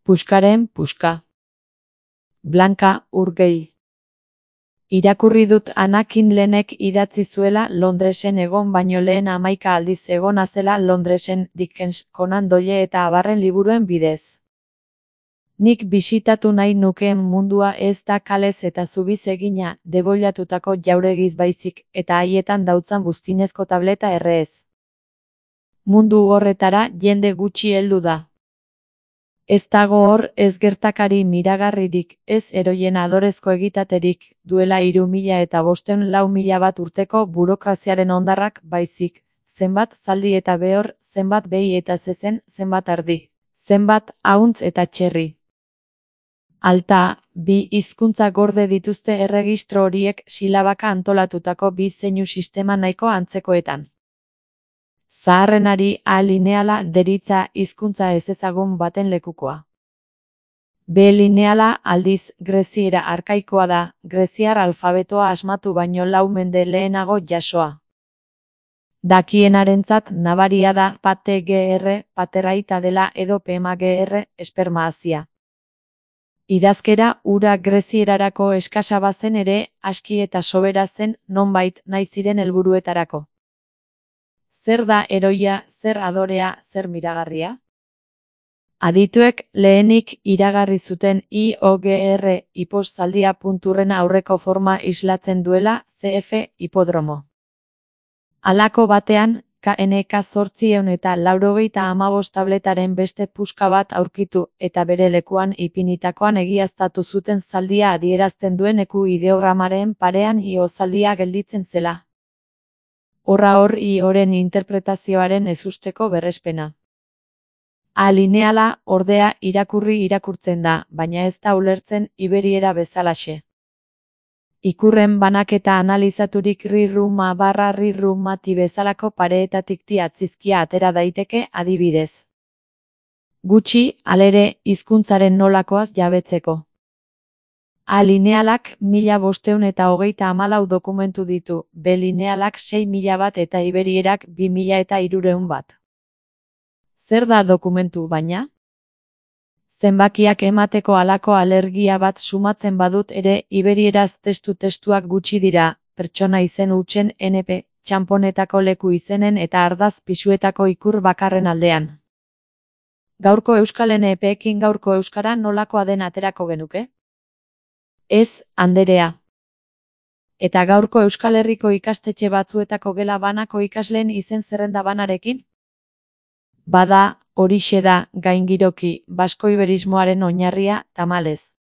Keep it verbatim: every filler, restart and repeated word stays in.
Puskaren puska. Blanka Urgell. Irakurri dut Anna Kindlenek idatzi zuela Londresen egon baino lehen hamaika aldiz egona zela Londresen Dickens, Conan Doyle eta abarren liburuen bidez. Nik bisitatu nahi nukeen mundua ez da kalez eta zubiz egina, deboilatutako jauregiz baizik, eta haietan dautzan buztinezko tableta errez. Mundu horretara jende gutxi heldu da. Ez dago hor ez gertakari miragarririk, ez eroien adorezko egitaterik, duela hiru mila eta bosteun lau mila bat urteko burokraziaren hondarrak baizik, zenbat zaldi eta behor, zenbat behi eta zezen, zenbat ardi, zenbat ahuntz eta txerri. Alta, bi hizkuntza gorde dituzte erregistro horiek silabaka antolatutako bi zeinu sistema nahiko antzekoetan. Zaharrenari A lineala deritza hizkuntza ezezagun baten lekukoa. B lineala aldiz greziera arkaikoa da, greziar alfabetoa asmatu baino lau mende lehenago jasoa. Dakienarentzat nabaria da pate gr, pateraita dela edo pema gr, espermazia. Idazkera ura grezierarako eskasa bazen ere, aski eta sobera zen, nonbait nahi ziren helburuetarako. Zer da heroia, zer adorea, zer miragarria? Adituek lehenik iragarri zuten I O G R hipozaldia punturren aurreko forma islatzen duela C F hipodromo. Halako batean, K N K zortziehun eta laurogeita hamabost tabletaren beste puska bat aurkitu eta bere lekuan ipinitakoan egiaztatu zuten zaldia adierazten duen eku ideogramaren parean I-O zaldia gelditzen zela. Horra hor I-Oren interpretazioaren ezusteko berrespena. A lineala, ordea, irakurri irakurtzen da, baina ez da ulertzen iberiera bezalaxe. Ikurren banaketa analizaturik rirruma barra rirrumati bezalako pareetatik atzizkia atera daiteke adibidez. Gutxi, alere, hizkuntzaren nolakoaz jabetzeko. A linealak mila bosteun eta hogeita hamalau dokumentu ditu, B linealak sei mila bat eta iberierak bi mila eta hirureun bat. Zer da dokumentu baina? Zenbakiak emateko halako alergia bat sumatzen badut ere, iberieraz testu-testuak gutxi dira, pertsona izen hutsen N P, txanponetako leku izenen eta ardaz pisuetako ikur bakarren aldean. Gaurko euskal N P-ekin gaurko euskara nolakoa den aterako genuke? Ez, anderea. Eta gaurko Euskal Herriko ikastetxe batzuetako gela banako ikasleen izen zerrenda banarekin? Bada, horixe da, gaingiroki, basko-iberismoaren oinarria, tamalez.